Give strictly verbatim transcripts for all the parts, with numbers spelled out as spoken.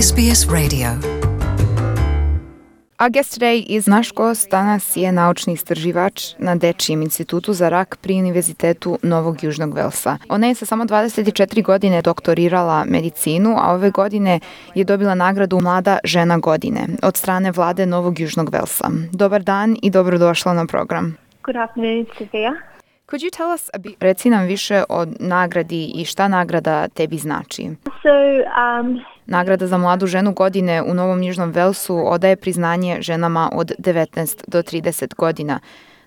S B S Radio. Our guest today is naš gost danas je naučni istraživač na Dečijem institutu za rak pri Univerzitetu Novog Južnog Velsa. Ona je sa samo dvadeset četiri godine doktorirala medicinu, a ove godine je dobila nagradu Mlada žena godine od strane vlade Novog Južnog Velsa. Dobar dan i dobrodošla na program. Good afternoon, Sophia. Could you tell us a bit, reci nam više o nagradi i šta nagrada tebi znači? So, um, Nagrada za mladu ženu godine u Novom Južnom Velsu odaje priznanje ženama od devetnaest do trideset godina.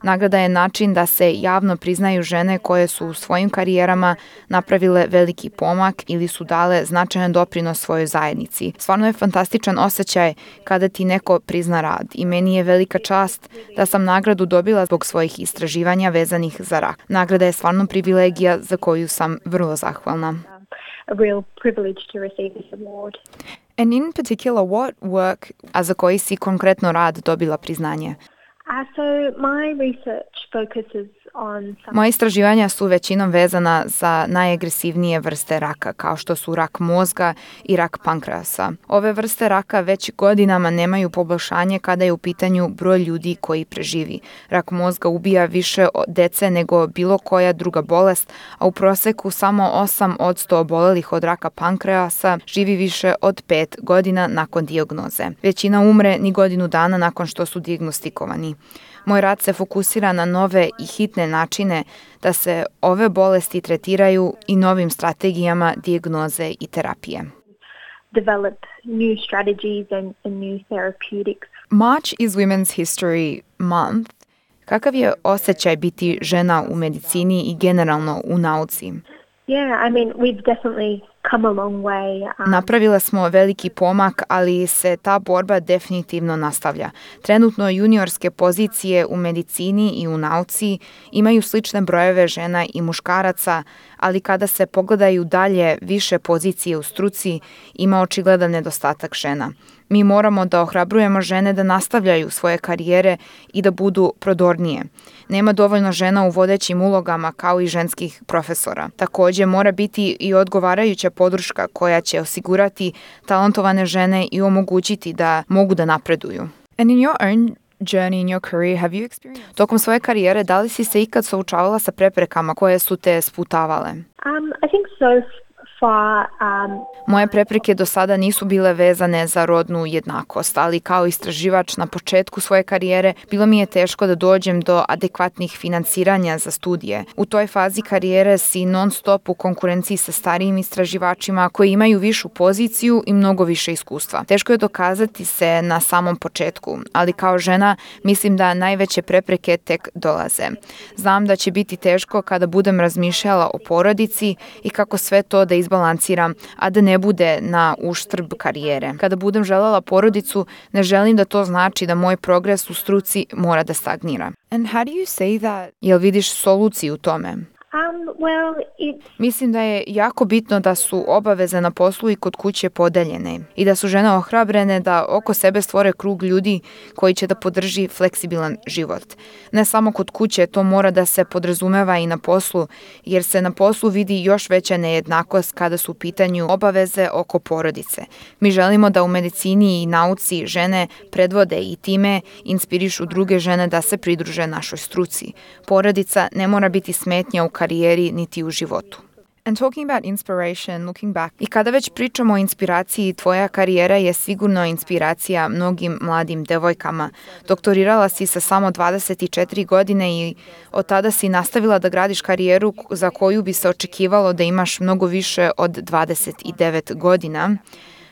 Nagrada je način da se javno priznaju žene koje su u svojim karijerama napravile veliki pomak ili su dale značajan doprinos svojoj zajednici. Stvarno je fantastičan osjećaj kada ti neko prizna rad i meni je velika čast da sam nagradu dobila zbog svojih istraživanja vezanih za rak. Nagrada je stvarno privilegija za koju sam vrlo zahvalna. a real privilege to receive this award. And in particular, what work, a za koji si konkretno rad dobila priznanje? Uh, so my research focuses on some... Moje istraživanja su većinom vezana za najagresivnije vrste raka, kao što su rak mozga i rak pankreasa. Ove vrste raka već godinama nemaju poboljšanje kada je u pitanju broj ljudi koji preživi. Rak mozga ubija više dece nego bilo koja druga bolest, a u proseku samo osam posto obolelih od raka pankreasa živi više od pet godina nakon dijagnoze. Većina umre ni godinu dana nakon što su dijagnostikovani. Moj rad se fokusira na nove i hitne načine da se ove bolesti tretiraju i novim strategijama dijagnoze i terapije. Develop new strategies and, and new therapeutics. March is Women's History Month. Kakav je osjećaj biti žena u medicini i generalno u nauci? Yeah, I mean, we've definitely come a long way. Um, Napravile smo veliki pomak, ali se ta borba definitivno nastavlja. Trenutno juniorske pozicije u medicini i u nauci imaju slične brojeve žena i muškaraca, ali kada se pogledaju dalje više pozicije u struci, ima očigledan nedostatak žena. Mi moramo da ohrabrujemo žene da nastavljaju svoje karijere i da budu prodornije. Nema dovoljno žena u vodećim ulogama kao i ženskih profesora. Također mora biti i odgovarajuća podrška koja će osigurati talentovane žene i omogućiti da mogu da napreduju. And in your own journey in your career, have you experienced... Tokom svoje karijere, da li si se ikad suočavala sa preprekama koje su te sputavale? um, I think so far... Um, Moje prepreke do sada nisu bile vezane za rodnu jednakost, ali kao istraživač na početku svoje karijere bilo mi je teško da dođem do adekvatnih financiranja za studije. U toj fazi karijere si non stop u konkurenciji sa starijim istraživačima koji imaju višu poziciju i mnogo više iskustva. Teško je dokazati se na samom početku, ali kao žena mislim da najveće prepreke tek dolaze. Znam da će biti teško kada budem razmišljala o porodici i kako sve to da izbalansiram, a da ne bude na uštrb karijere. Kada budem željela porodicu, ne želim da to znači da moj progres u struci mora da stagnira. And how do you say that? Jel vidiš soluciju u tome? um, well, it's... Mislim da je jako bitno da su obaveze na poslu i kod kuće podeljene i da su žene ohrabrene da oko sebe stvore krug ljudi koji će da podrži fleksibilan život. Ne samo kod kuće, to mora da se podrazumeva i na poslu, jer se na poslu vidi još veća nejednakost kada su u pitanju obaveze oko porodice. Mi želimo da u medicini i nauci žene predvode i time inspirišu druge žene da se pridruže našoj struci. Porodica ne mora biti smetnja u karijeri niti u životu. And talking about inspiration, looking back. I kada već pričamo o inspiraciji, tvoja karijera je sigurno inspiracija mnogim mladim devojkama. Doktorirala si sa samo dvadeset četiri godine i od tada si nastavila da gradiš karijeru za koju bi se očekivalo da imaš mnogo više od dvadeset devet godina.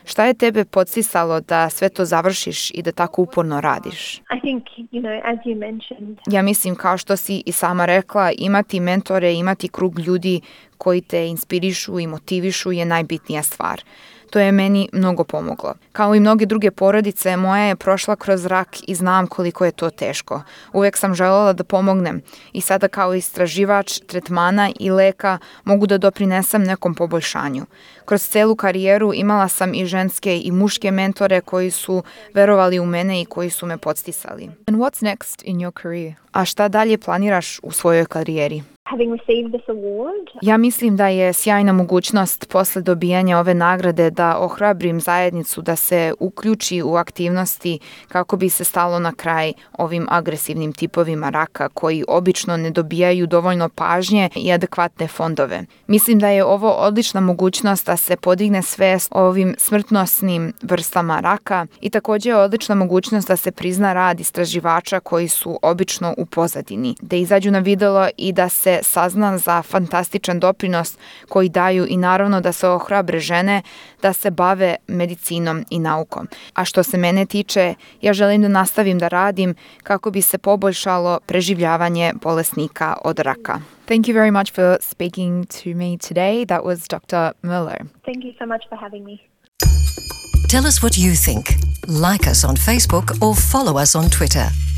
Šta je tebe podsticalo da sve to završiš i da tako uporno radiš? I think, you know, as you mentioned... Ja mislim, kao što si i sama rekla, imati mentore, imati krug ljudi koji te inspirišu i motivišu je najbitnija stvar. To je meni mnogo pomoglo. Kao i mnoge druge porodice, moja je prošla kroz rak i znam koliko je to teško. Uvijek sam željela da pomognem i sada kao istraživač tretmana i leka mogu da doprinesem nekom poboljšanju. Kroz celu karijeru imala sam i ženske i muške mentore koji su verovali u mene i koji su me podsticali. And what's next in your career? A šta dalje planiraš u svojoj karijeri? Having received this award, Ja mislim da je sjajna mogućnost posle dobijanja ove nagrade da ohrabrim zajednicu da se uključi u aktivnosti kako bi se stalo na kraj ovim agresivnim tipovima raka koji obično ne dobijaju dovoljno pažnje i adekvatne fondove. Mislim da je ovo odlična mogućnost da se podigne svest o ovim smrtnosnim vrstama raka i također je odlična mogućnost da se prizna rad istraživača koji su obično u pozadini, da izađu na videlo i da se sazna za fantastičan doprinos koji daju i naravno da se ohrabre žene da se bave medicinom i naukom. A što se mene tiče, ja želim da nastavim da radim kako bi se poboljšalo preživljavanje bolesnika od raka. Thank you very much for speaking to me today. That was Doctor Muller. thank you so much for having me. Tell us what you think. Like us on Facebook or follow us on Twitter.